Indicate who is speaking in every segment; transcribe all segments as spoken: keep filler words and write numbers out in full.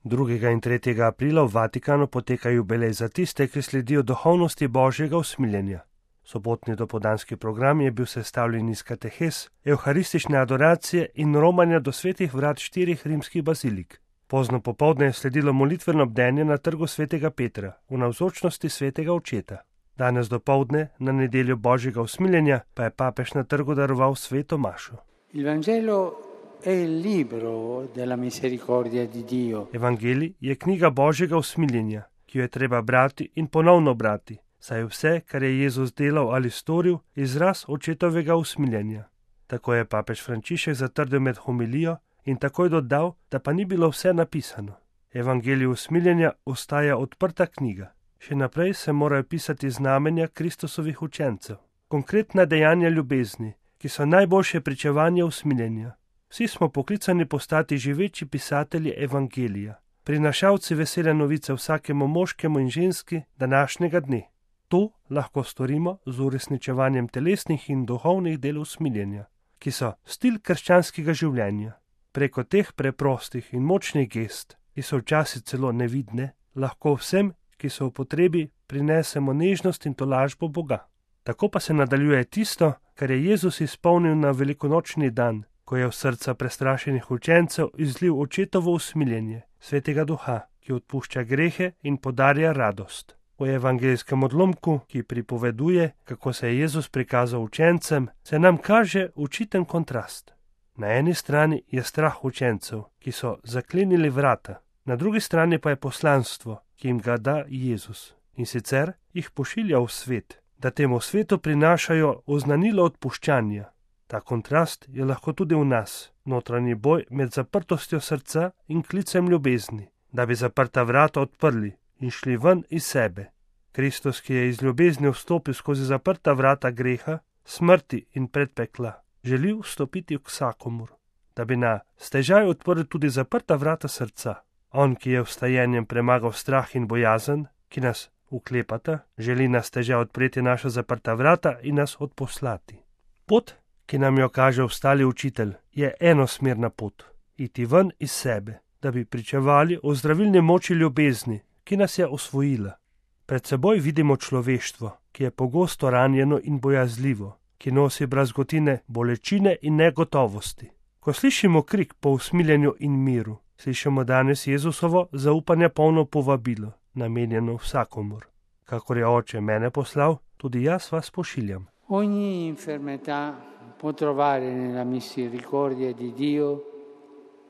Speaker 1: drugega in tretjega aprila v Vatikanu poteka jubilej za tiste, ki sledijo duhovnosti Božjega usmiljenja. Sobotni dopoldanski program je bil sestavljen iz katehes, evharistične adoracije in romanja do svetih vrat štirih rimskih bazilik. Pozno popoldne je sledilo molitveno bdenje na trgu svetega Petra v navzočnosti svetega očeta. Danes dopoldne, na nedeljo Božjega usmiljenja, pa je papež na trgu daroval sveto mašo.
Speaker 2: Il Vangelo è il libro della misericordia di Dio.
Speaker 1: Evangelij je knjiga Božjega usmiljenja, ki jo je treba brati in ponovno brati, saj je vse, kar je Jezus delal ali storil, izraz očetovega usmiljenja. Tako je papež Frančišek zatrdil med homilijo in takoj dodal, da pa ni bilo vse napisano. Evangelij usmiljenja ostaja odprta knjiga. Še naprej se morajo pisati znamenja Kristusovih učencev, konkretna dejanja ljubezni, ki so najboljše pričevanje usmiljenja. Vsi smo poklicani postati živeči pisatelji evangelija, prinašalci vesele novice vsakemu moškemu in ženski današnjega dne. To lahko storimo z uresničevanjem telesnih in duhovnih del usmiljenja, ki so stil krščanskega življenja. Preko teh preprostih in močnih gest, ki so včasih celo nevidne, lahko vsem, ki so v potrebi, prinesemo nežnost in tolažbo Boga. Tako pa se nadaljuje tisto, kar je Jezus izpolnil na velikonočni dan, ko je v srca prestrašenih učencev izlil očetovo usmiljenje, svetega duha, ki odpušča grehe in podarja radost. V evangelijskem odlomku, ki pripoveduje, kako se je Jezus prikazal učencem, se nam kaže učiten kontrast. Na eni strani je strah učencev, ki so zaklenili vrata, na drugi strani pa je poslanstvo, ki jim ga da Jezus, in sicer jih pošilja v svet, da temu svetu prinašajo oznanilo odpuščanja. Ta kontrast je lahko tudi v nas, notranji boj med zaprtostjo srca in klicem ljubezni, da bi zaprta vrata odprli in šli ven iz sebe. Kristus, ki je iz ljubezni vstopil skozi zaprta vrata greha, smrti in predpekla, želi vstopiti k vsakomur, da bi na stežaj odprl tudi zaprta vrata srca. On, ki je vstajenjem premagal strah in bojazen, ki nas uklepata, želi na stežaj odpreti naša zaprta vrata in nas odposlati. Pot, ki nam jo kaže vstali učitelj, je enosmerna pot, iti ven iz sebe, da bi pričevali o zdravilni moči ljubezni, ki nas je osvojila. Pred seboj vidimo človeštvo, ki je pogosto ranjeno in bojazljivo, ki nosi brazgotine bolečine in negotovosti. Ko slišimo krik po usmiljenju in miru, slišimo danes Jezusovo zaupanja polno povabilo, namenjeno vsakomur. Kakor je Oče mene poslal, tudi jaz vas pošiljam.
Speaker 2: Ogni infermità può trovare nella misericordia di Dio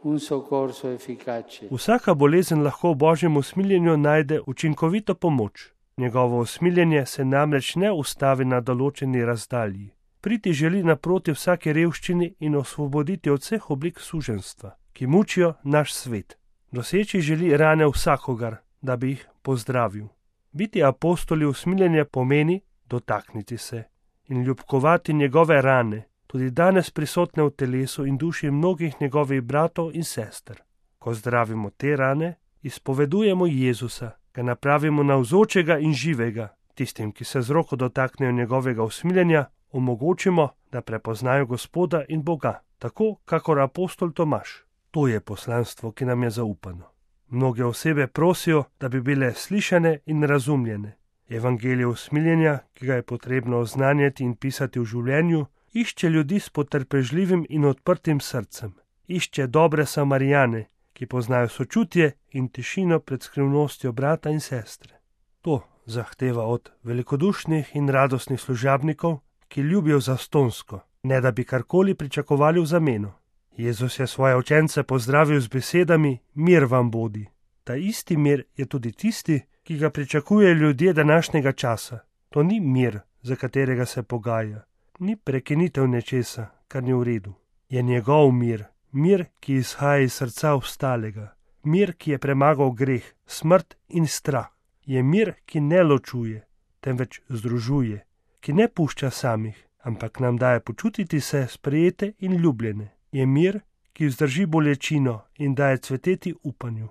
Speaker 2: un soccorso efficace.
Speaker 1: Vsaka bolezen lahko v Božjem usmiljenju najde učinkovito pomoč. Njegovo usmiljenje se namreč ne ustavi na določeni razdalji. Priti želi naproti vsake revščini in osvoboditi od vseh oblik suženjstva, ki mučijo naš svet. Doseči želi rane vsakogar, da bi jih pozdravil. Biti apostoli usmiljenja pomeni dotakniti se in ljubkovati njegove rane, tudi danes prisotne v telesu in duši mnogih njegovih bratov in sester. Ko zdravimo te rane, izpovedujemo Jezusa, ga napravimo navzočega in živega. Tistim, ki se z roko dotaknejo njegovega usmiljenja, omogočimo, da prepoznajo Gospoda in Boga, tako kakor apostol Tomaž. To je poslanstvo, ki nam je zaupano. Mnoge osebe prosijo, da bi bile slišane in razumljene. Evangelij usmiljenja, ki ga je potrebno oznanjati in pisati v življenju, išče ljudi s potrpežljivim in odprtim srcem. Išče dobre Samarijane, ki poznajo sočutje in tišino pred skrivnostjo brata in sestre. To zahteva od velikodušnih in radostnih služabnikov, ki ljubijo zastonsko, ne da bi karkoli pričakovali v zameno. Jezus je svoje učence pozdravil z besedami: mir vam bodi. Ta isti mir je tudi tisti, ki ga pričakujejo ljudje današnjega časa. To ni mir, za katerega se pogaja, ni prekinitev nečesa, kar ni v redu. Je njegov mir, mir, ki izhaja iz srca vstalega, mir, ki je premagal greh, smrt in strah. Je mir, ki ne ločuje, temveč združuje, ki ne pušča samih, ampak nam daje počutiti se sprejete in ljubljene. Je mir, ki vzdrži bolečino in daje cveteti upanju.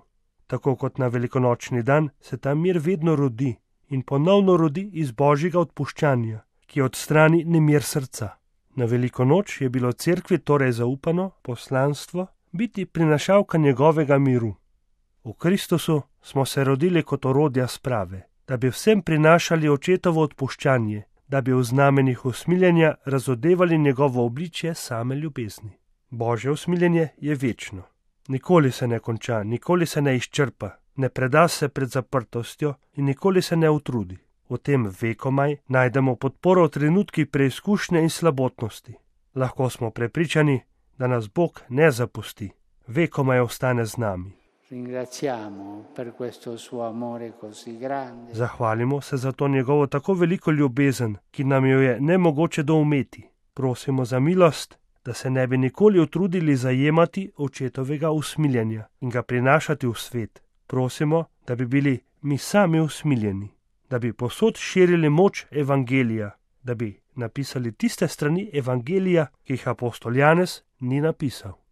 Speaker 1: Tako kot na velikonočni dan se ta mir vedno rodi in ponovno rodi iz Božjega odpuščanja, ki odstrani nemir srca. Na veliko noč je bilo cerkvi torej zaupano poslanstvo biti prinašalka njegovega miru. V Kristusu smo se rodili kot orodja sprave, da bi vsem prinašali očetovo odpuščanje, da bi v znamenjih usmiljenja razodevali njegovo obličje same ljubezni. Božje usmiljenje je večno. Nikoli se ne konča, nikoli se ne izčrpa, ne preda se pred zaprtostjo in nikoli se ne utrudi. V tem vekomaj najdemo podporo v trenutkih preizkušnje in slabotnosti. Lahko smo prepričani, da nas Bog ne zapusti, vekomaj ostane z nami. Zahvalimo se za to njegovo tako veliko ljubezen, ki nam jo je nemogoče doumeti. Prosimo za milost, da se ne bi nikoli utrudili zajemati očetovega usmiljenja in ga prinašati v svet. Prosimo, da bi bili mi sami usmiljeni, da bi povsod širili moč evangelija, da bi napisali tiste strani evangelija, ki jih apostol Janez ni napisal.